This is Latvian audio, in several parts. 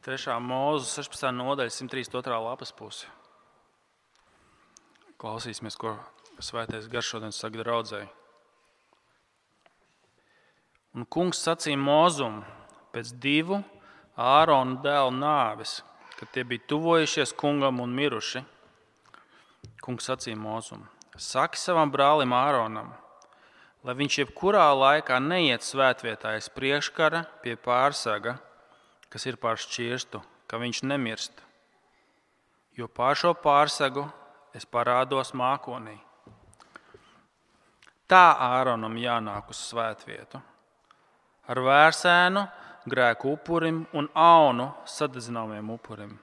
3. Mūzes 16. nodaļa, 132. lapas puse. Klausīsimies, ko Svētais Gars šodien saka draudzēji. Un kungs sacīja Mūzum pēc 2 Ārona dēlu nāves, kad tie bija tuvojušies kungam un miruši. Kungs sacīja Mūzum: saki savam brālim Āronam, lai viņš jebkurā laikā neiet svētvietā aiz priekškara pie pārsaga, kas ir pār šķirstu, ka viņš nemirst. Jo pār šo pārsagu es parādos mākonī. Tā Āronam jānāk uz svētvietu. Ar vērsēnu, grēku upurim un aunu sadedzināmiem upurim.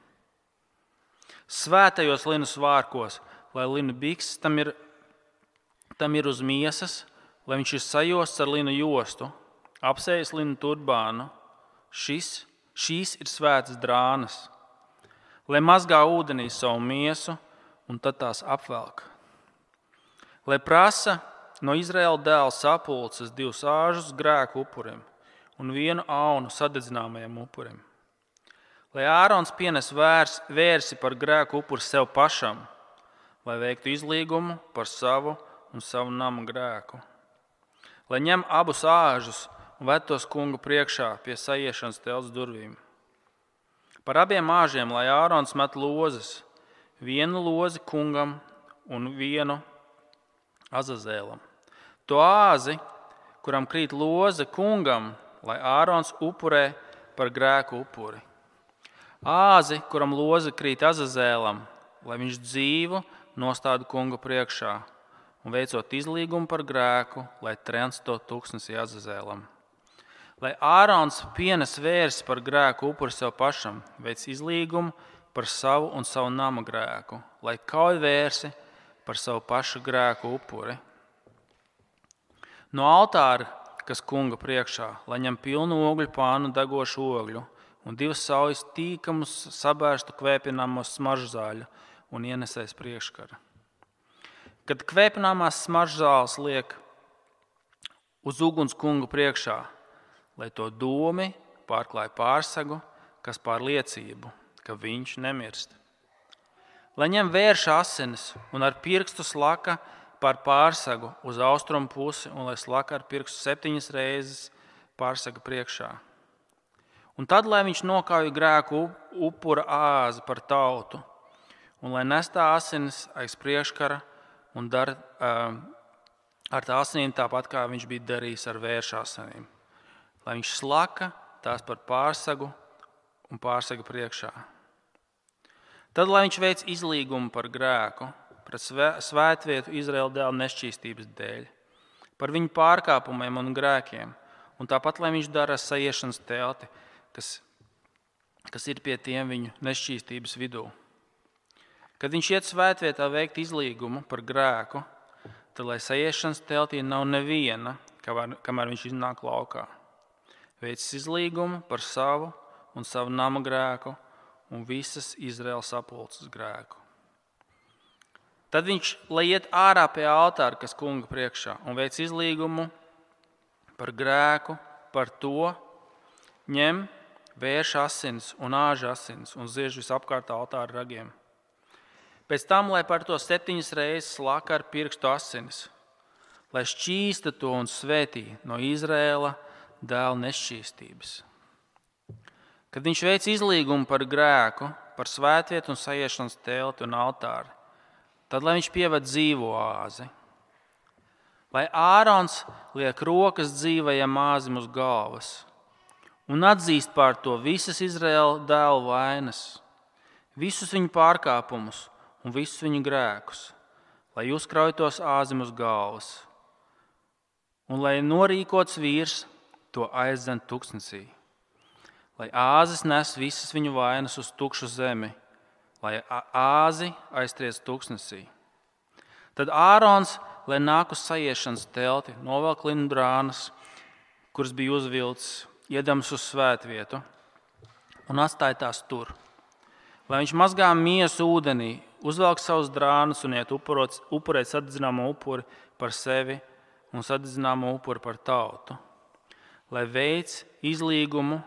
Svētajos linu svārkos, lai linu bikses tam ir uz miesas, lai viņš ir sajosts ar linu jostu, apsējis linu turbānu. Šīs ir svētas drānas, lai mazgā ūdenī savu miesu un tad tās apvelk. Lai prasa no Izraēla dēla sapulces 2 āžus grēku upurim un 1 aunu sadedzināmajam upurim. Lai Ārons pienes vērsi par grēku upuri sev pašam, lai veiktu izlīgumu par savu un savu nama grēku. Lai ņem abus āžus un ved tos kunga priekšā pie saiešanas telts durvīm. Par abiem āžiem, lai Ārons met lozes, 1 lozi kungam un 1 Azazēlam. To āzi, kuram krīt loze kungam, lai Ārons upurē par grēku upuri. Āzi, kuram loze krīt Azazēlam, lai viņš dzīvu nostāda kunga priekšā un veicot izlīgumu par grēku, lai trens to tuksnesī Azazēlam. Lai Ārons pienes vērsi par grēku upuri sev pašam, veic izlīgumu par savu un savu nama grēku, lai kauj vērsi par savu pašu grēku upuri. No altāra, kas kunga priekšā, lai ņem pilnu ogļu pānu degošu ogļu un 2 saujas tīkamus sabērstu kvēpināmos smaržzāļu un ienesēs priekškara. Kad kvēpināmās smaržzāles liek uz uguns kunga priekšā, lai to dūmi pārklāj pārsagu, kas pār liecību, ka viņš nemirst. Lai ņem vērša asinis un ar pirkstu slaka pār pārsagu uz austrumu pusi un lai slaka ar pirkstu 7 reizes pārsaga priekšā. Un tad, lai viņš nokauj grēku upura āzi par tautu un lai nestā asinis aiz priekškara un dara ar tā asinīm tāpat, kā viņš bija darījis ar vērša asinīm. Lai viņš slaka tās par pārsagu un pārsaga priekšā. Tad, lai viņš veic izlīgumu par grēku, pret svētvietu Izraēla dēla nešķīstības dēļ, par viņu pārkāpumiem un grēkiem, un tāpat, lai viņš dara saiešanas telti, kas ir pie tiem viņu nešķīstības vidū. Kad viņš iet svētvietā veikt izlīgumu par grēku, tad, lai saiešanas teltī nav neviena, kamēr viņš iznāk laukā. Veicis izlīgumu par savu un savu nama grēku un visas Izraēlas sapulces grēku. Tad viņš, lai iet ārā pie altāra, kas kunga priekšā, un veic izlīgumu par grēku, par to, ņem vērša asins un āža asins un ziež visapkārt altāra ragiem. Pēc tam, lai par to 7 reizes slaka ar pirkstu asinis, lai šķīsta to un svētī no Izraēla dēla nešķīstības. Kad viņš veic izlīgumu par grēku, par svētvietu un saiešanas telti un altāri, tad, lai viņš pieved dzīvo āzi. Lai Ārons liek rokas dzīvajam āzim uz galvas un atzīst pār to visas Izraēla dēlu vainas, visus viņu pārkāpumus un visus viņu grēkus, lai uzkrauj tos āzim uz galvas un lai norīkots vīrs to aizdzen tuksnesī, lai āzis nes visas viņu vainas uz tukšu zemi, lai āzi aiztriec tuksnesī. Tad Ārons, lai nāk uz saiešanas telti, novelk linu drānas, kuras bija uzvilcis, iedams uz svētvietu un atstāja tās tur. Lai viņš mazgā miesu ūdenī, uzvelk savus drānus un iet upurēt sadedzināmo upuri par sevi un sadedzināmo upuri par tautu. Lai veic izlīgumu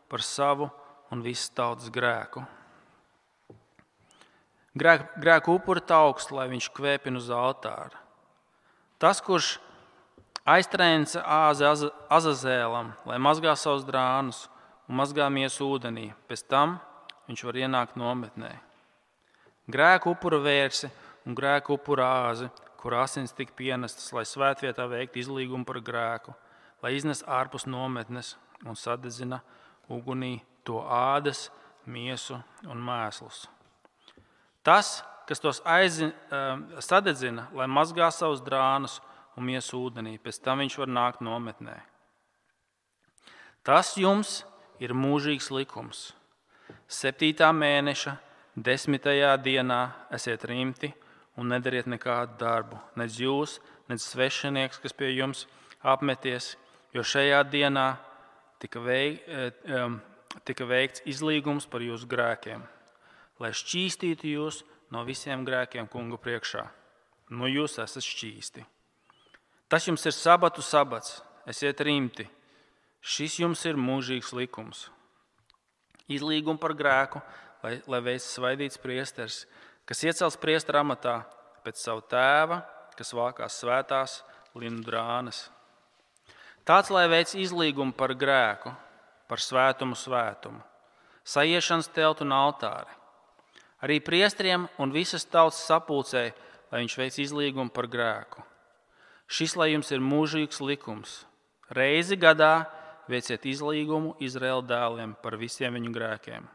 par savu un visas tautas grēku. Grēku upuri tauks, lai viņš kvēpina uz altāra. Tas, kurš aiztrēnca āzi Azazēlam, lai mazgā savus drānus un mazgā miesu ūdenī, pēc tam viņš var ienākt nometnē. Grēku upura vērsi un grēku upura āzi, kur asins tika pienestas, lai svētvietā veiktu izlīgumu par grēku, lai iznes ārpus nometnes un sadedzina ugunī to ādas, miesu un mēslus. Tas, kas tos sadedzina, lai mazgā savus drānus un miesu ūdenī, pēc tam viņš var nākt nometnē. Tas jums ir mūžīgs likums. 7. mēneša 10. dienā esiet rimti un nedariet nekādu darbu, nec jūs, nec svešinieks, kas pie jums apmeties, jo šajā dienā tika veikts izlīgums par jūsu grēkiem, lai šķīstītu jūs no visiem grēkiem kunga priekšā. Nu, jūs esat šķīsti. Tas jums ir sabatu sabats, esiet rimti. Šis jums ir mūžīgs likums. Izlīgumu par grēku, lai veic svaidīts priesteris, kas iecels priestera amatā pēc savu tēva, kas valkās svētās linu drānas. Tāds, lai veic izlīgumu par grēku, par svētumu, saiešanas teltu un altāri. Arī priesteriem un visas tautas sapulcei, lai viņš veic izlīgumu par grēku. Šis, lai jums ir mūžīgs likums. Reizi gadā veiciet izlīgumu Izraēla dēliem par visiem viņu grēkiem.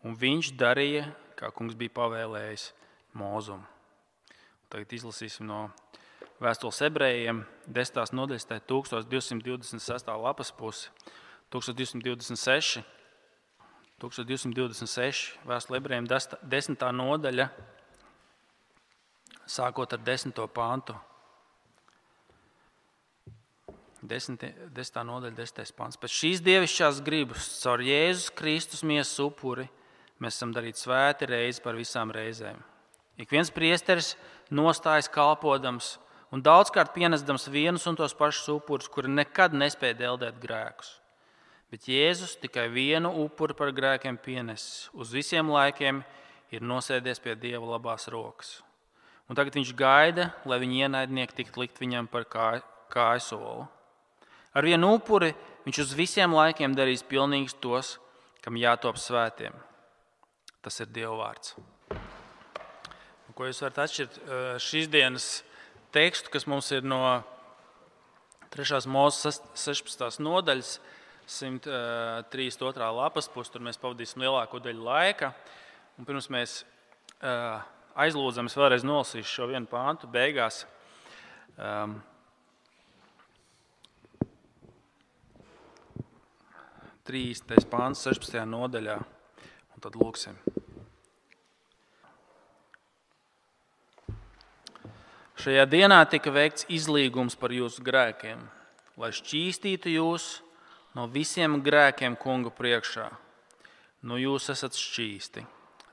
Un viņš darīja, kā kungs bija pavēlējis Mūzum. Tagad izlasīsim no vēstules ebrejiem 10. nodaļas, 1226. lapas pusi, 1226. 1226. vēstule ebrejiem 10. nodaļa, sākot ar 10. pantu. 10. nodaļa, 10. pants. Pēc šīs dievišķās gribas, caur Jēzus Kristus miesas upuri, mēs esam darīti svēti reizi par visām reizēm. Ik viens priesteris nostājas kalpodams un daudzkārt pienesdams vienus un tos pašus upurus, kuri nekad nespēja deldēt grēkus. Bet Jēzus tikai vienu upuri par grēkiem pienesis. Uz visiem laikiem ir nosēdies pie Dieva labās rokas. Un tagad viņš gaida, lai viņa ienaidnieki tiktu likt viņam par kājsolu. Ar vienu upuri viņš uz visiem laikiem darīs pilnīgus tos, kam jātop svētiem. Tas ir Dieva vārds. Ko jūs varat atšķirt šīs dienas tekstu, kas mums ir no 3. Mūzes 16. nodaļas, 132. lapas puses, tur mēs pavadīsim lielāko daļu laika. Un pirms mēs aizlūdzam, es vēlreiz nolasīšu šo vienu pāntu beigās. 30. pāns 16. nodaļā, un tad lūksim. Šajā dienā tika veikts izlīgums par jūsu grēkiem, lai šķīstītu jūs no visiem grēkiem kunga priekšā. Nu, jūs esat šķīsti.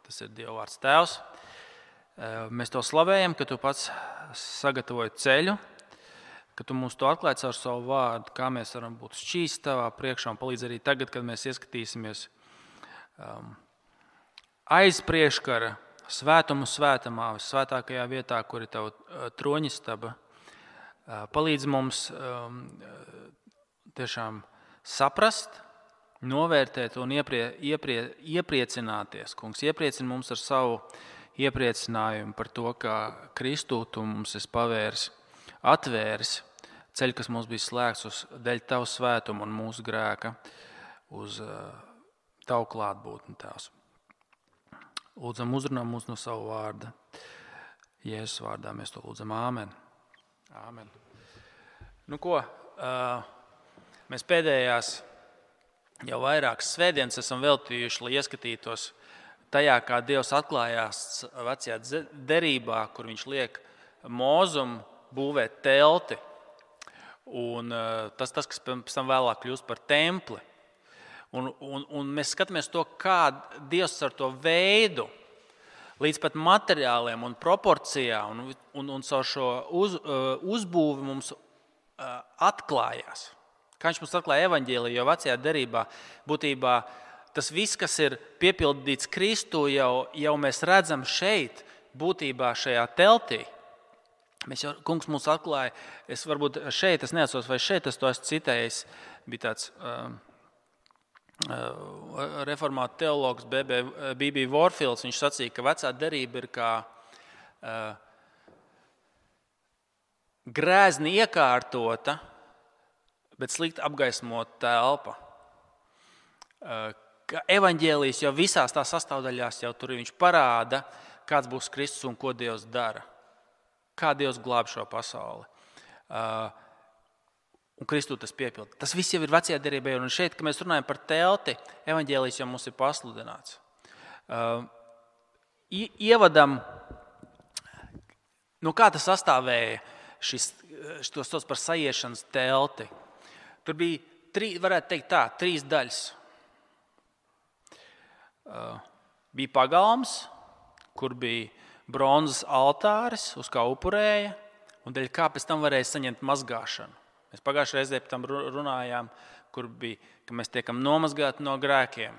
Tas ir Dieva vārds. Tēvs, mēs to slavējam, ka tu pats sagatavoji ceļu, ka tu mums to atklāji caur savu vārdu, kā mēs varam būt šķīsti tavā priekšā un palīdz arī tagad, kad mēs ieskatīsimies aiz priekškara svētumu svētamā, svētākajā vietā, kur ir tava troņistaba. Palīdz mums tiešām saprast, novērtēt un iepriecināties. Kungs, iepriecini mums ar savu iepriecinājumu par to, kā Kristū tu mums esi pavērs, atvērs ceļu, kas mums bija slēgts uz dēļ tavu svētumu un mūsu grēka, uz tavu klātbūtni, Tēvs. Lūdzam, uzrunā mūs no savu vārda. Jēzus vārdā mēs to lūdzam. Āmen. Āmen. Nu ko, mēs pēdējās jau vairākas svētdienas esam veltījuši, lai ieskatītos tajā, kā Dievs atklājās vecajā derībā, kur viņš liek Mūzum būvēt telti. Un tas, kas pēc tam vēlāk kļūst par templi. Un mēs skatāmies to, kā Dievs ar to veidu, līdz pat materiāliem un proporcijām un caur šo uzbūvi mums atklājās. Kā viņš mums atklāja evaņģēliju, jo vecajā derībā būtībā tas viss, kas ir piepildīts Kristu, jau mēs redzam šeit, būtībā šajā teltī. Kungs mums atklāja, es neatceros, vai šeit es to esmu citējis, bija tāds reformātu teologs B.B. Warfields, viņš sacīja, ka vecā derība ir kā grēzni iekārtota, bet slikti apgaismota telpa. Ka evaņģēlijs jau visās tās sastāvdaļās jau tur viņš parāda, kāds būs Kristus un ko Dievs dara. Kā Dievs glāb šo pasauli. Un Kristu tas piepilda. Tas viss jau ir vecajā derībā. Un šeit, kad mēs runājam par telti, evaņģēlijs jau mums ir pasludināts. Ievadam, no kā tas sastāvēja to sauc par sajiešanas telti. Tur bija, varētu teikt tā, 3 daļas. Bija pagalms, kur bija bronzas altāris, uz kā upurēja, un dēļ kā pēc tam varēja saņemt mazgāšanu. Mēs pagājušajā reizē par tam runājām, kur bija, ka mēs tiekam nomazgāti no grēkiem.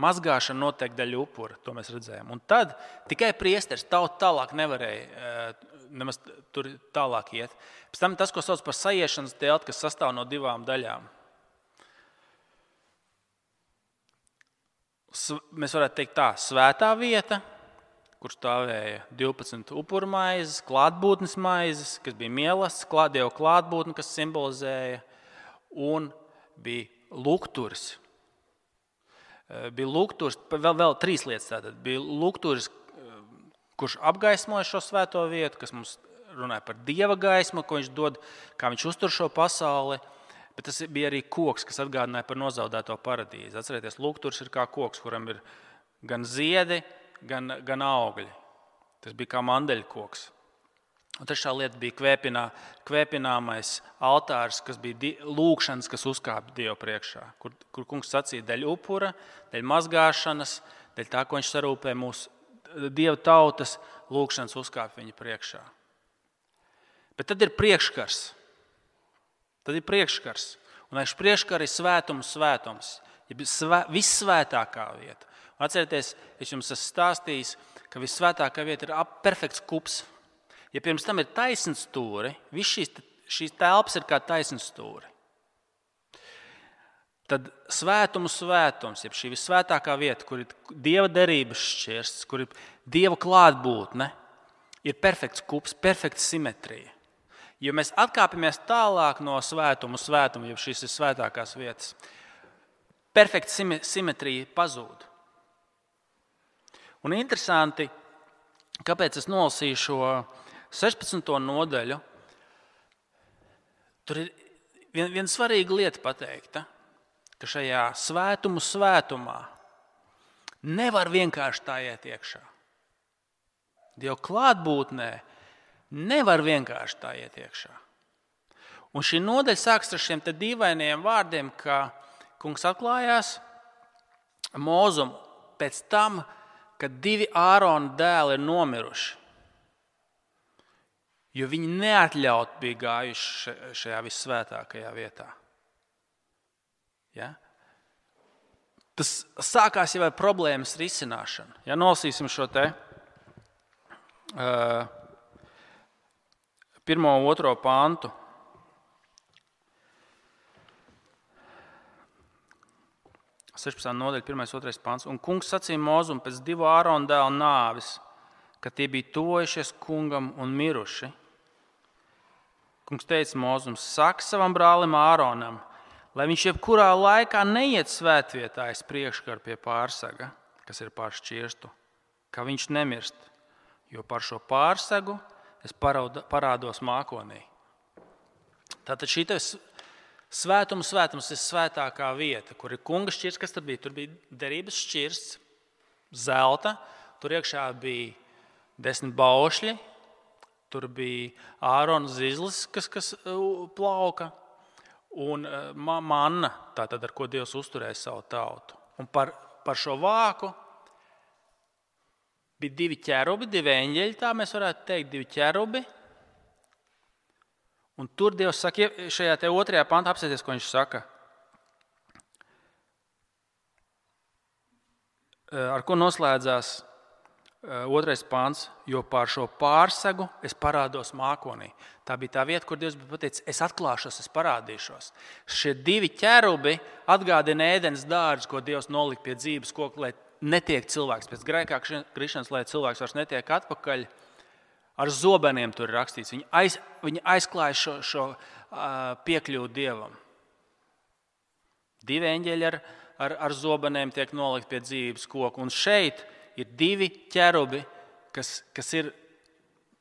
Mazgāšana notiek dēļ upura, to mēs redzējām. Un tad tikai priesteris tālāk nevarēja nemaz tur tālāk iet. Pēc tam tas, ko sauc par sajiešanas telti, kas sastāv no 2 daļām. Mēs varētu teikt tā, svētā vieta, kur stāvēja 12 upuru maizes, klātbūtnes maizes, kas bija mīlestības, Dieva klātbūtne, kas simbolizēja, un bija lukturis. Bija lukturis, vēl 3 lietas tātad. Bija lukturis, kurš apgaismoja šo svēto vietu, kas mums runāja par Dieva gaismu, ko viņš dod, kā viņš uztur šo pasauli, bet tas bija arī koks, kas atgādināja par nozaudēto paradīzi. Atcerieties, lukturis ir kā koks, kuram ir gan ziedi, gan augļi. Tas bija kā mandeļkoks. Un trešā lieta bija kvēpināmais altārs, kas bija lūkšanas, kas uzkāpa Dievu priekšā, kur kungs sacīja dēļ upura, dēļ mazgāšanas, dēļ tā, ko viņš sarūpē mūsu Dieva tautas, lūkšanas uzkāpa viņa priekšā. Bet tad ir priekškars. Un aiz priekškara ir svētums, ja vissvētākā vieta. Atcerieties, es jums esmu stāstījis, ka vissvētākā vieta ir perfekts kups. Ja pirms tam ir taisns stūri, viss šīs telpas ir kā taisns stūri. Tad svētums, ja šī vissvētākā vieta, kur ir Dieva derības šķirsts, kur ir Dieva klātbūtne, ir perfekts kups, perfekta simetrija. Jo mēs atkāpjamies tālāk no svētuma, ja šīs ir svētākās vietas, perfekta simetrija pazūd. Un interesanti, kāpēc es nolasīju šo 16. nodaļu, tur ir viena svarīga lieta pateikta, ka šajā svētumā nevar vienkārši tā iet iekšā. Dieva klātbūtnē nevar vienkārši tā iet iekšā. Un šī nodaļa sākas ar šiem te dīvainiem vārdiem, ka kungs atklājās Mūzum pēc tam, kad 2 Ārona dēli ir nomiruši, jo viņi neatļaut bija gājuši šajā vissvētākajā vietā. Ja? Tas sākās jau ar problēmas risināšanu. Ja nolasīsim šo te 1. un 2. pantu. Nodaļa, 1. un 2. pants. Un kungs sacīja Mūzum pēc 2 Ārona dēlu nāves, kad tie bija tuvojušies kungam un miruši. Kungs teica Mūzum, saka savam brālim Āronam, lai viņš jebkurā laikā neiet svētvietā aiz priekškara pie pārsaga, kas ir pār šķirstu, ka viņš nemirst, jo par šo pārsagu es parādos mākonī. Tātad šī svētums ir svētākā vieta, kur ir kunga šķirsts, kas tur bija. Tur bija derības šķirsts, zelta, tur iekšā bija 10 baušļi, tur bija Ārona zizlis, kas plauka, un manna, tātad ar ko Dievs uzturēja savu tautu. Un par šo vāku bija 2 ķerubi, 2 eņģeļi, tā mēs varētu teikt, 2 ķerubi. Un tur Dievs saka, šajā te 2. pantā apsēties, ko viņš saka. ar ko noslēdzās 2. pāns, jo pār šo pārsegu es parādos mākonī. Tā bija tā vieta, kur Dievs bija pateicis, es atklāšos, es parādīšos. Šie 2 ķerubi atgādina ēdenes dārzu, ko Dievs nolika pie dzīves koka, lai netiek cilvēks. Pēc grēkā krišanas, lai cilvēks vairs netiek atpakaļ, ar zobeniem tur ir rakstīts. Viņi aizklāja šo piekļuvu Dievam. 2 eņģeļi ar zobeniem tiek nolikt pie dzīves koka. Un šeit ir 2 ķerubi, kas ir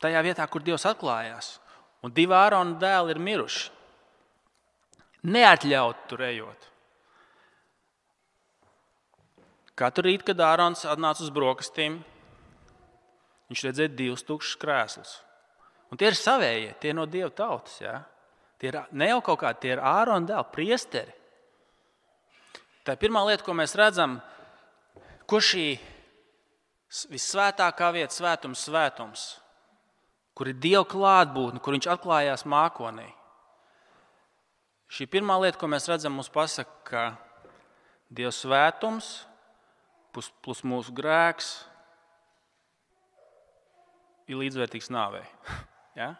tajā vietā, kur Dievs atklājās. Un 2 Ārona dēli ir miruši. Neatļaut tur ejot. Katru rītu, kad Ārons atnāca uz brokastīm, viņš redzēja 2 tukšus krēslus. Un tie ir savējie, tie ir no Dieva tautas. Ja? Tie ir ne jau kaut kādi, tie ir Ārona dēli, priesteri. Tā ir pirmā lieta, ko mēs redzam, ko šī vissvētākā vieta, svētums, kur ir Dieva klātbūtne, kur viņš atklājās mākonī. Šī pirmā lieta, ko mēs redzam, mums pasaka, ka Dieva svētums plus mūsu grēks ir līdzvērtīgs nāvei. Ja?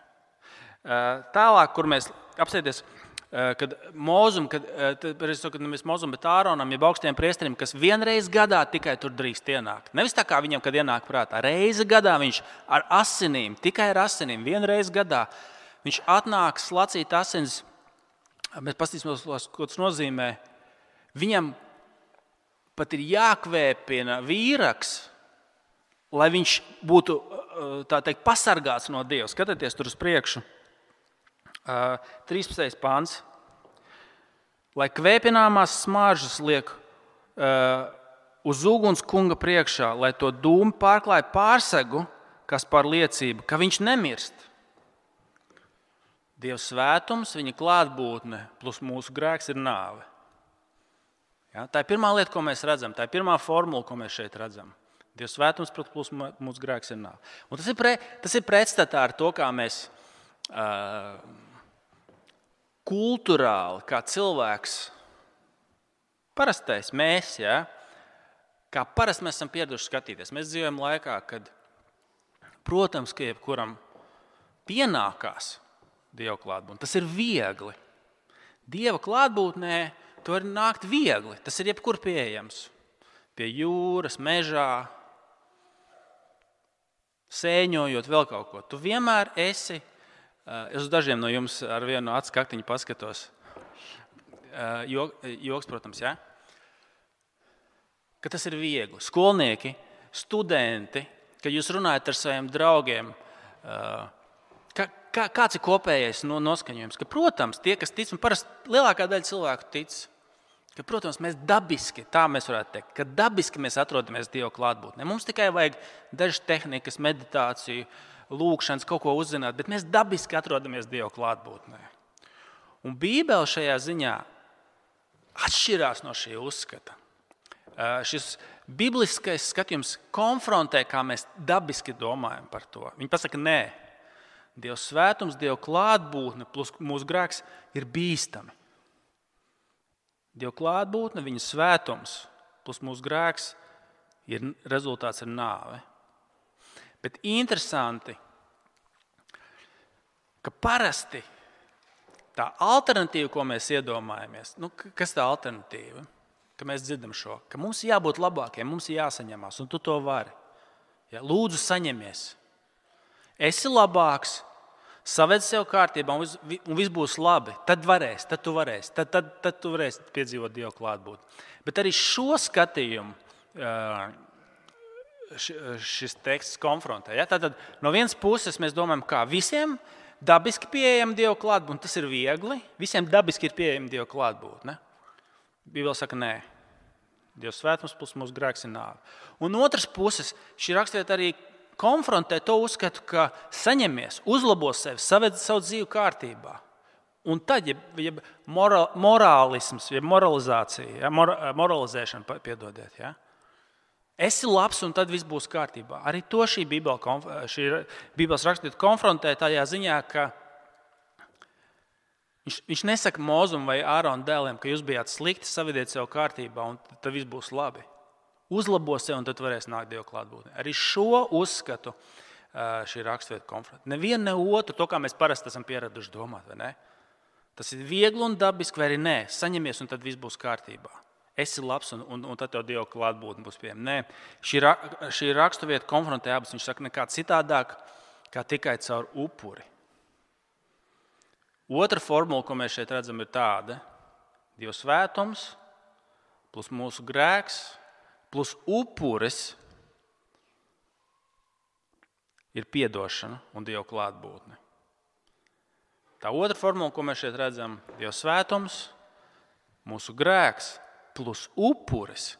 Tālāk, kur mēs apsēties, kad nevis Mozum, bet Āronam, jeb augstiem priesterim, kas vienreiz gadā tikai tur drīkst ienākt. Nevis tā kā viņam, kad ienāk prātā. Reizi gadā viņš ar asinīm, tikai ar asinīm, vienreiz gadā viņš atnāk slacīt asins. Mēs paskatīsimies, ko tas nozīmē. Viņam pat ir jākvēpina vīraks, lai viņš būtu, tā teikt, pasargāts no Dieva. Skatieties tur uz priekšu. 13. pāns. Lai kvēpināmās smaržas liek uz uguns kunga priekšā, lai to dūmu pārklāja pārsegu, kas par liecību, ka viņš nemirst. Dieva svētums, viņa klātbūtne plus mūsu grēks ir nāve. Ja? Tā ir pirmā lieta, ko mēs redzam. Tā ir pirmā formula, ko mēs šeit redzam. Dieva svētums plus mūsu grēks ir nāve. Un tas ir pretstatā ar to, kā mēs kultūrāli, kā cilvēks, parastais mēs, ja, kā parasti mēs esam pieraduši skatīties. Mēs dzīvojam laikā, kad, protams, ka jebkuram pienākās Dieva klātbūtne. Tas ir viegli. Dieva klātbūtnē to var nākt viegli. Tas ir jebkur pieejams. Pie jūras, mežā, sēņojot, vēl kaut ko. Tu vienmēr esi. Es uz dažiem no jums ar vienu acu kaktiņu paskatos. Joks, protams, ja? Ka tas ir viegli. Skolnieki, studenti, kad jūs runājat ar saviem draugiem, kāds ir kopējais noskaņojums? Ka, protams, tie, kas tic, un parasti lielākā daļa cilvēku tic, ka, protams, mēs dabiski, tā mēs varētu teikt, ka dabiski mēs atrodamies Dieva klātbūtnē. Mums tikai vajag dažas tehnikas, meditāciju, lūkšanas, kaut ko uzzināt, bet mēs dabiski atrodamies Dieva klātbūtnē. Un Bībele šajā ziņā atšķirās no šī uzskata. Šis bibliskais skatījums konfrontē, kā mēs dabiski domājam par to. Viņi pasaka, nē, Dieva svētums, Dieva klātbūtne plus mūsu grēks ir bīstami. Dieva klātbūtne, viņa svētums plus mūsu grēks rezultāts ir nāve. Bet interesanti, ka parasti tā alternatīva, ko mēs iedomājamies, kas tā alternatīva? Ka mēs dzirdam šo, ka mums ir jābūt labākiem, mums ir jāsaņemās, un tu to vari. Ja, lūdzu, saņemies. Esi labāks, saved sev kārtībā, un viss būs labi. Tad tu varēsi piedzīvot Dieva klātbūtni. Bet arī šo skatījumu šis teksts konfrontē. Ja? Tātad no vienas puses mēs domājam, kā visiem dabiski pieejama Dieva klātbūtne, tas ir viegli, visiem dabiski ir pieejama Dieva klātbūtne. Bībele saka, nē, Dieva svētums plus mūsu grēks ir nāve. Un no otras puses, šī raksturvieta arī konfrontē to uzskatu, ka saņemies, uzlabo sevi, saved savu dzīvi kārtībā. Un tad, ja morālisms, ja moralizācija, ja, moralizēšana, piedodiet, ja, esi labs, un tad viss būs kārtībā. Arī to šī Bībeles raksturvieta konfrontē tajā ziņā, ka viņš nesaka Mozum vai Ārona dēliem, ka jūs bijāt slikti, savediet sev kārtībā, un tad viss būs labi. Uzlabo sevi, un tad varēs nākt Dieva klātbūtnē. Arī šo uzskatu šī raksturvieta konfrontē. Nevienu ne otru, to kā mēs parasti esam pieraduši domāt, vai ne? Tas ir viegli un dabiski, vai arī nē. Saņemies, un tad viss būs kārtībā. Esi labs, un tad tev Dieva klātbūtne būs pieejama. Nē, šī raksturvieta konfrontē abas. Viņš saka, nekā citādāk, kā tikai caur upuri. Otra formula, ko mēs šeit redzam, ir tāda: Dieva svētums, plus mūsu grēks, plus upuris ir piedošana un Dieva klātbūtne. Tā otra formula, ko mēs šeit redzam, Dieva svētums, mūsu grēks, plus upuris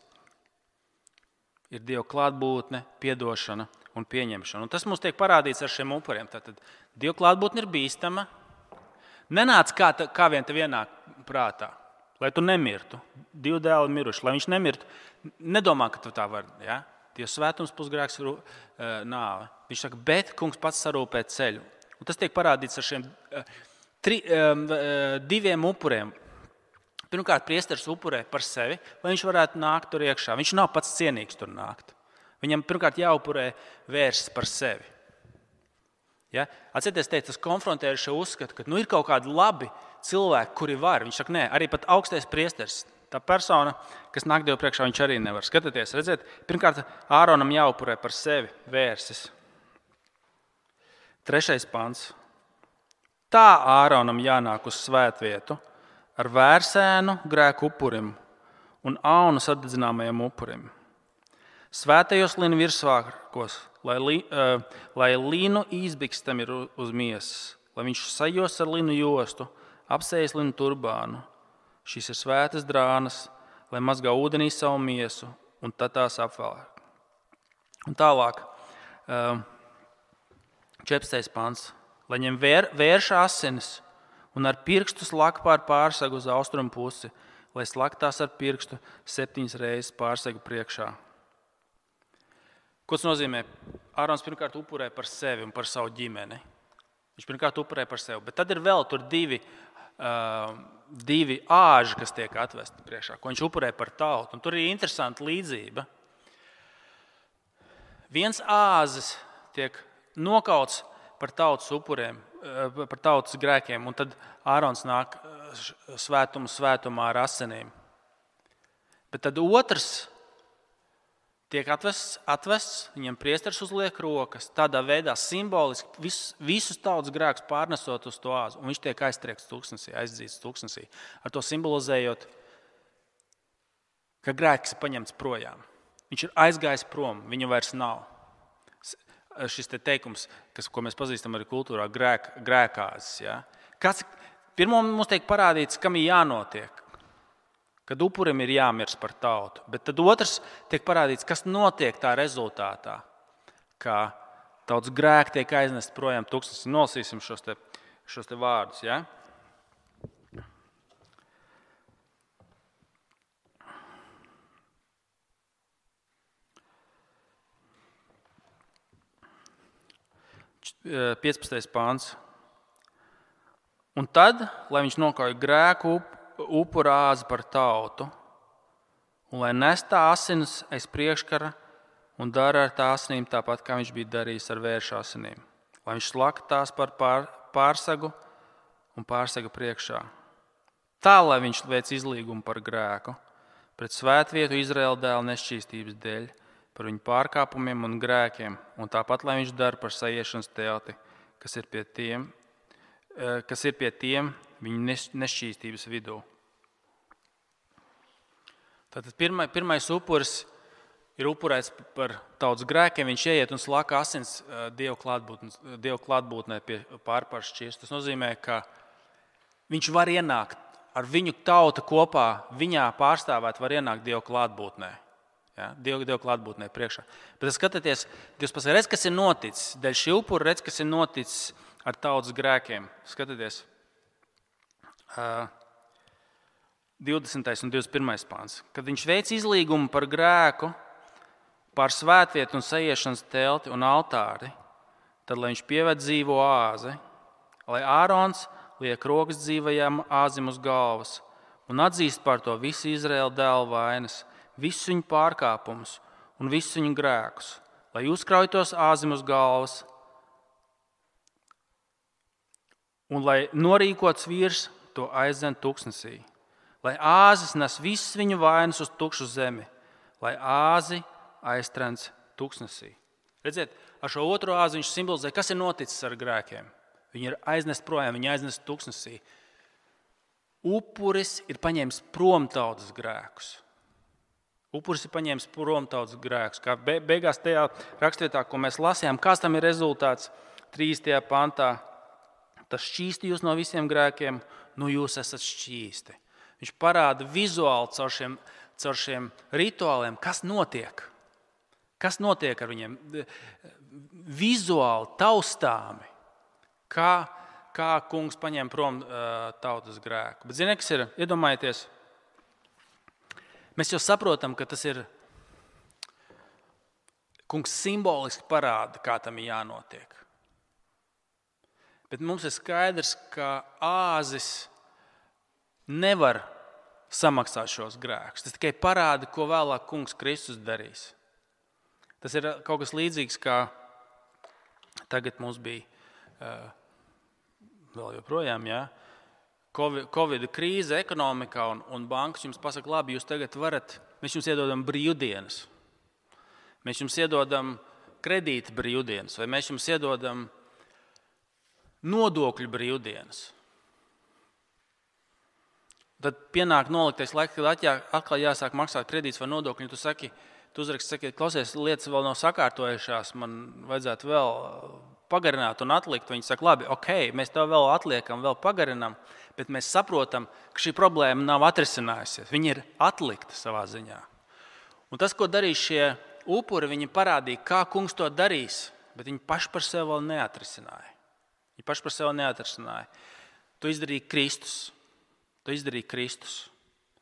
ir Dieva klātbūtne, piedošana un pieņemšana. Un tas mums tiek parādīts ar šiem upuriem. Tātad Dieva klātbūtne ir bīstama. Nenāc kā vien tev ienāk prātā, lai tu nemirtu. Divi dēli miruši, lai viņš nemirtu. Nedomā, ka tu tā vari. Ja? Dieva svētums plus grēks ir nāve. Viņš saka, bet kungs pats sarūpē ceļu. Un tas tiek parādīts ar šiem diviem upuriem. Pirmkārt, priesteris upurē par sevi, lai viņš varētu nākt tur iekšā. Viņš nav pats cienīgs tur nākt. Viņam pirmkārt jāupurē vērsts par sevi. Ja? Atcerieties, tas konfrontē ar šo uzskatu, ka ir kaut kādi labi cilvēki, kuri var. Viņš saka, nē, arī pat augstais priesteris, tā persona, kas nāk Dievu priekšā, viņš arī nevar. Skatieties, redziet, pirmkārt, Āronam jāupurē par sevi vērsis. 3. pants. Tā Āronam jānāk uz svētvietu ar vērsēnu grēku upurim un aunu sadedzināmajam upurim. Svētajos linu virsvārkos, lai linu izbikstam ir uz miesas, lai viņš sajos ar linu jostu, apsējas linu turbānu. Šīs ir svētas drānas, lai mazgā ūdenī savu miesu, un tad tās apvēlāk. Un tālāk, 14. pants. Lai ņem vērša asinis un ar pirkstu slaka pār pārsegu uz austrumu pusi, lai slaktās ar pirkstu 7 reizes pārsegu priekšā. Ko tas nozīmē? Ārons pirmkārt upurē par sevi un par savu ģimeni. Viņš pirmkārt upurē par sevi, bet tad ir vēl tur divi āži, kas tiek atvesti priekšā, ko viņš upurē par tautu. Un tur ir interesanta līdzība. Viens āzis tiek nokauts par tautas upuriem, par tautas grēkiem, un tad Ārons nāk svētumā ar asinīm. Bet tad otrs tiek atvests, viņam priesteris uzliek rokas, tādā veidā simboliski visus tautas grēkus pārnesot uz to āzu, un viņš tiek aiztriekts tūkstnesī, aizdzīts tūkstnesī, ar to simbolizējot, ka grēks ir paņemts projām. Viņš ir aizgājis prom, viņu vairs nav. Šis teikums, ko mēs pazīstam arī kultūrā, grēkāzis. Ja? Pirmā mums tiek parādīts, kam ir jānotiek, kad upurim ir jāmirst par tautu. Bet tad otrs tiek parādīts, kas notiek tā rezultātā, kā tautas grēki tiek aiznest projām tūkstnesī. Nolasīsim šos te vārdus. Ja? Uh, 15. pāns. Un tad, lai viņš nokauj grēku upura āzi par tautu, un lai nes tā asinis aiz priekškara un dara ar tā asinīm tāpat, kā viņš bija darījis ar vēršu asinīm. Lai viņš slaka tās par pārsegu un pārsega priekšā. Tā, lai viņš veic izlīgumu par grēku, pret svētvietu Izraēla dēla nešķīstības dēļ, par viņu pārkāpumiem un grēkiem, un tāpat, lai viņš dara par sajiešanas telti, kas ir pie tiem viņu nešķīstības vidū. Tātad pirmais upuris ir upurēts par tautas grēkiem, viņš ieiet un slaka asins Dieva klātbūtnē pie pārpārs šķirst. Tas nozīmē, ka viņš var ienākt ar viņu tauta kopā, viņā pārstāvēt var ienākt Dieva klātbūtnē. Ja, Dieva klātbūtnē priekšā. Bet skatieties, Dievs pasaka, redz, kas ir noticis. Dēļ šī upura redz, kas ir noticis ar tautas grēkiem. Skatieties, 20. un 21. pāns. Kad viņš veic izlīgumu par grēku, pār svētvietu un sajiešanas telti un altāri, tad, lai viņš pieved dzīvo āzi, lai Ārons liek rokas dzīvajam āzim uz galvas un atzīst par to visu Izraēla dēlu vainas, visus viņu pārkāpumus un visus viņu grēkus, lai uzkrauj tos āzim uz galvas un lai norīkots vīrs to aizdzen tuksnesī, lai āzis nes visas viņu vainas uz tukšu zemi, lai āzi aiztrens tuksnesī. Redziet, ar šo otro āzi viņš simbolizē, kas ir noticis ar grēkiem. Viņi ir aiznest projām, viņi aiznest tuksnesī. Upuris ir paņēmis prom tautas grēkus. Upuris ir paņēmis prom tautas grēkus. Kā beigās tajā rakstvietā, ko mēs lasījām, kāds tam ir rezultāts 3. pantā. Tas šķīsti jūs no visiem grēkiem, jūs esat šķīsti. Viņš parāda vizuāli caur šiem rituāliem, kas notiek. Kas notiek ar viņiem? Vizuāli, taustāmi. Kā kungs paņem prom tautas grēku. Bet ziniet, kas ir? Iedomājieties, mēs jau saprotam, ka tas ir kungs simboliski parāda, kā tam ir jānotiek. Bet mums ir skaidrs, ka āzis nevar samaksāt šos grēkus. Tas tikai parāda, ko vēlāk kungs Kristus darīs. Tas ir kaut kas līdzīgs, kā tagad mums bija vēl joprojām, Covid krīze ekonomikā un bankas jums pasaka, labi, jūs tagad varat, mēs jums iedodam brīvdienas. Mēs jums iedodam kredīta brīvdienas, vai mēs jums iedodam nodokļu brīvdienas. Tad pienāk noliktais laiks, kad atkal jāsāk maksāt kredīts vai nodokļi. Tu uzraksti, klausies, lietas vēl nav sakārtojušās, man vajadzētu vēl pagarināt un atlikt. Viņi saka, labi, ok, mēs tev vēl atliekam, vēl pagarinām, bet mēs saprotam, ka šī problēma nav atrisinājusies. Viņa ir atlikta savā ziņā. Un tas, ko darīs šie upuri, viņi parādīja, kā kungs to darīs, bet viņi paši par sevi vēl neatrisināja. To izdarīja Kristus.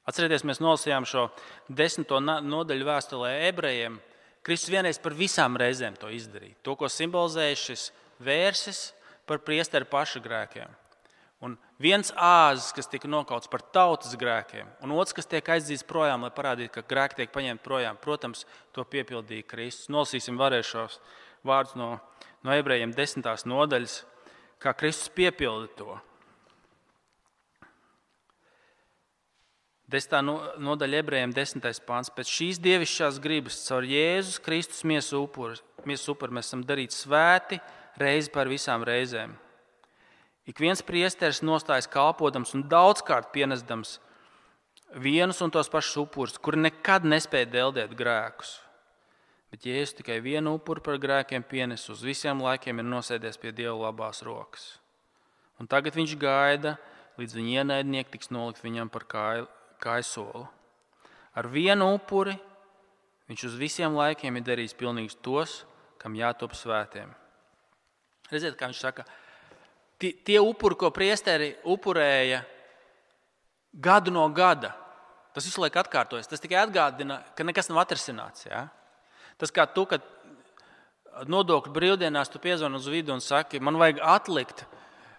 Atcerieties, mēs nolasījām šo 10. nodaļu vēstulē ebrejiem. Kristus vienreiz par visām reizēm to izdarīja. To, ko simbolizēja šis vērsis par priesteri paša grēkiem. Un viens āzis, kas tika nokauts par tautas grēkiem, un otrs, kas tiek aizdzīts projām, lai parādītu, ka grēki tiek paņemti projām. Protams, to piepildīja Kristus. Nolasīsim vēlreiz šos vārdus no ebrejiem 10. nodaļas, kā Kristus piepilda to. 10. nodaļa ebrejiem 10. pāns. Pēc šīs dievišķās gribas caur Jēzus Kristus miesu upuri mēs esam darīti svēti reizi par visām reizēm. Ik viens priesteris nostājas kalpodams un daudzkārt pienesdams vienus un tos pašus upurus, kuri nekad nespēja deldēt grēkus. Bet Jēzus tikai vienu upuru par grēkiem pienes, uz visiem laikiem ir nosēdies pie Dieva labās rokas. Un tagad viņš gaida, līdz viņa ienaidnieki tiks nolikt viņam par kājsoli. Ar vienu upuri viņš uz visiem laikiem ir darījis pilnīgus tos, kam jātop svētiem. Redziet, kā viņš saka, tie upuri, ko priesteri upurēja gadu no gada, tas visu laiku atkārtojas. Tas tikai atgādina, ka nekas nav atrisināts. Ja? Tas kā tu, kad nodokļu brīvdienās tu piezvani uz vidu un saki, man vajag atlikt.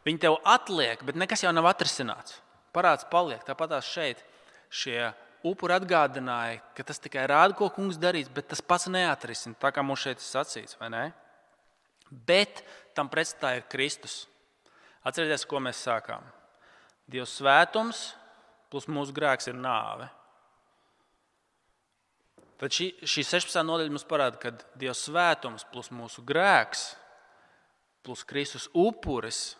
Viņi tev atliek, bet nekas jau nav atrisināts. Parāds paliek, tāpatās šeit. Šie upuri atgādināja, ka tas tikai rāda, ko kungs darīs, bet tas pats neatrisina, tā kā mums šeit ir sacīts, vai ne? Bet tam pretstā ir Kristus. Atcerieties, ko mēs sākām. Dieva svētums plus mūsu grēks ir nāve. Tad šī 16. nodaļa mums parāda, ka Dieva svētums plus mūsu grēks plus Kristus upuris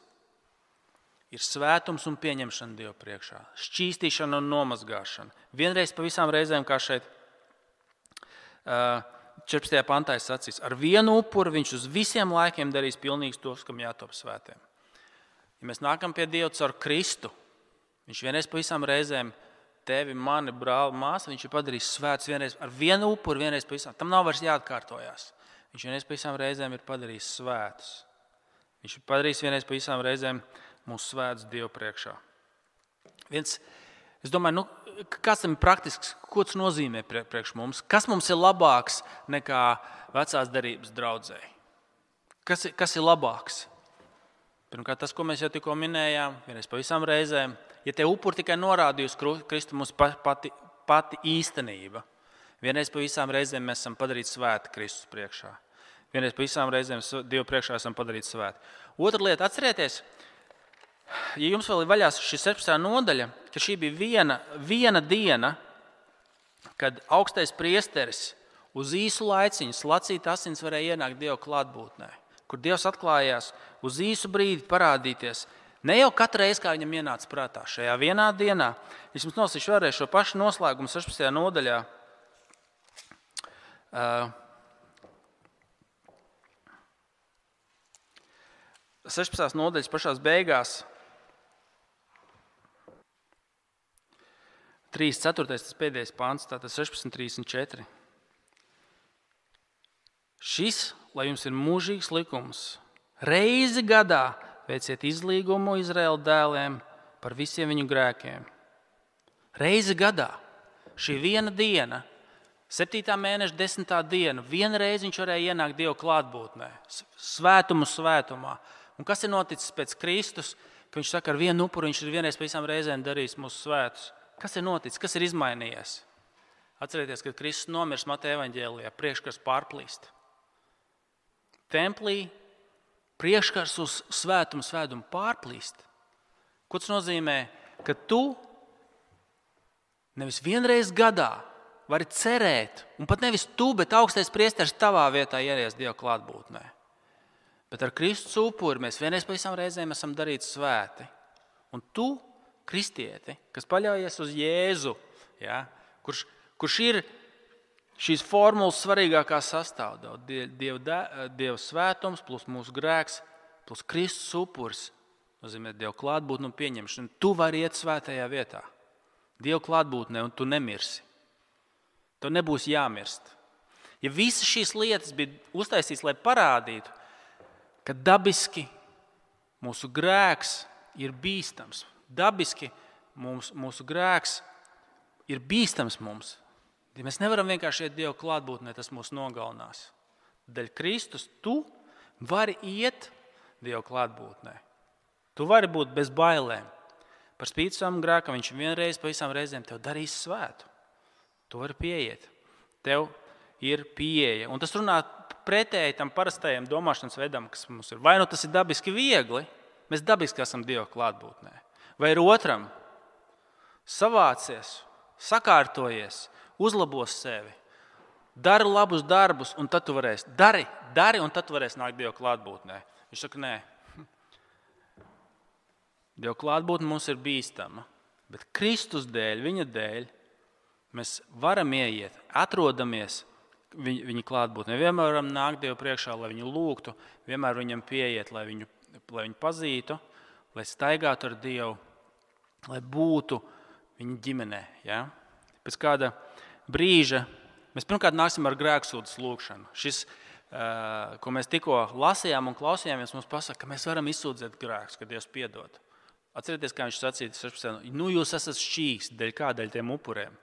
ir svētums un pieņemšana Dieva priekšā, šķīstīšana un nomazgāšana. Vienreiz pa visām reizēm, kā šeit 14. pantā ir sacīts, ar vienu upuru viņš uz visiem laikiem darīs pilnīgus tos, kam jātop svētiem. Ja mēs nākam pie Dieva caur Kristu, viņš vienreiz pa visām reizēm tevi, mani, brāli, māsu, viņš ir padarījis svētus vienreiz ar vienu upuru, vienreiz pa visām. Tam nav vairs jāatkārtojās. Viņš vienreiz pa visām reizēm ir padarījis svētus. Viņš ir padarījis vienreiz pa visām reizēm mūsu svētus Dievu priekšā. Es domāju, kāds tam ir praktisks, ko tas nozīmē priekš mums? Kas mums ir labāks nekā vecās derības draudzēji? Kas ir labāks? Pirmkārt, tas, ko mēs jau tikko minējām, vienreiz pa visām reizēm. Ja te upuri tikai norādīja uz Kristu, mums pati īstenība. Vienreiz pa visām reizēm mēs esam padarīti svēti Kristus priekšā. Vienreiz pa visām reizēm Dievu priekšā esam padarīti svēti. Otra lieta, atcerieties, ja jums vēl ir vaļā šī 17. nodaļa, ka šī bija viena diena, kad augstais priesteris uz īsu laiciņu slacīt asins varēja ienākt Dieva klātbūtnē, kur Dievs atklājās uz īsu brīdi parādīties. Ne jau katru reizi, kā viņam ienāca prātā, šajā vienā dienā. Es jums nolasīšu vēlreiz šo pašu noslēgumu 16. nodaļā. 16. nodaļas pašās beigās. 3.4. tas pēdējais pants, tātad 16.34. Šis, lai jums ir mūžīgs likums, reizi gadā veiciet izlīgumu Izraēla dēliem par visiem viņu grēkiem. Reizi gadā. Šī viena diena, 7. mēneša 10. diena, vienreiz viņš varēja ienākt Dieva klātbūtnē, svētumā. Un kas ir noticis pēc Kristus, ka viņš saka, ar vienu upuru viņš ir vienreiz pa visām reizēm darījis mūsu svētus? Kas ir noticis? Kas ir izmainījies? Atcerieties, kad Kristus nomirs Mateja evaņģēlijā, priekškars pārplīst. Templī priekškars uz svētumu pārplīst. Ko tas nozīmē? Ka tu nevis vienreiz gadā vari cerēt, un pat nevis tu, bet augstais priesteris tavā vietā ieries Dieva klātbūtnē. Bet ar Kristus upuri mēs vienreiz pa visām reizēm esam darīti svēti. Un tu, kristieti, kas paļaujies uz Jēzu, ja, kurš ir šīs formulas svarīgākā sastāvdaļa, Dieva svētums plus mūsu grēks plus Kristus upuris, nozīmē Dieva klātbūtne un pieņemšana. Tu vari iet svētajā vietā, Dieva klātbūtnē, un tu nemirsi. Tev nebūs jāmirst. Ja visas šīs lietas bija uztaisītas, lai parādītu, ka dabiski mūsu grēks ir bīstams. Dabiski mūsu grēks ir bīstams mums. Ja mēs nevaram vienkārši iet Dieva klātbūtnē, tas mūs nogalinās. Dēļ Kristus tu vari iet Dieva klātbūtnē. Tu vari būt bez bailēm. Par spīti savam grēkam viņš vienreiz pa visām reizēm tev darīs svētu. Tu vari pieiet. Tev ir pieeja. Un tas runā pretēji tam parastajam domāšanas veidam, kas mums ir. Vai nu tas ir dabiski viegli, mēs dabiski esam Dieva klātbūtnē. Vai ir otram savācies, sakārtojies, uzlabos sevi, dari labus darbus, un tad tu varēsi. Dari, un tad tu varēsi nākt Dieva klātbūtnē. Viņš saka, nē. Dieva klātbūtne mums ir bīstama, bet Kristus dēļ, viņa dēļ, mēs varam ieiet, atrodamies viņa klātbūtnē. Vienmēr varam nākt Dievu priekšā, lai viņu lūgtu, vienmēr viņam pieiet, lai viņu pazītu, lai staigātu ar Dievu, lai būtu viņa ģimenē. Ja? Pēc kāda brīža mēs pirmkārt nāksim ar grēksūdzes lūgšanu. Šis, ko mēs tikko lasījām un klausījāmies, mums pasaka, ka mēs varam izsūdzēt grēkus, ka Dievs piedod. Atcerieties, kā viņš sacīja 16. Jūs esat šķīsti, dēļ kā? Dēļ tiem upuriem.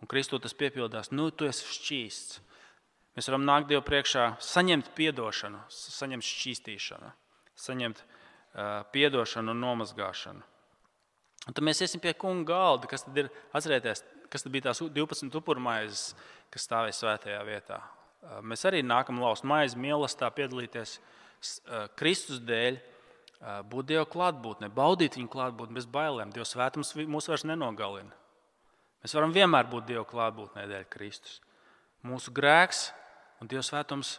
Un Kristu tas piepildās, tu esi šķīsts. Mēs varam nākt Dievu priekšā, saņemt piedošanu, saņemt šķīstīšanu, saņemt piedošanu un nomazgāšanu. Un tad mēs iesim pie kunga galda, kas tad ir, atcerieties, kas tad bija tās 12 upurmaizes, kas stāvēja svētajā vietā. Mēs arī nākam laust maizi, mīlestībā piedalīties Kristus dēļ, būt Dieva klātbūtnē, baudīt viņu klātbūtni bez bailēm. Dieva svētums mūs vairs nenogalina. Mēs varam vienmēr būt Dieva klātbūtnē dēļ Kristus. Mūsu grēks un Dieva svētums,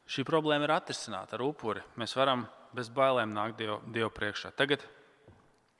šī problēma ir atrisināta ar upuri. Mēs varam bez bailēm nākt Dievu priekšā. Tagad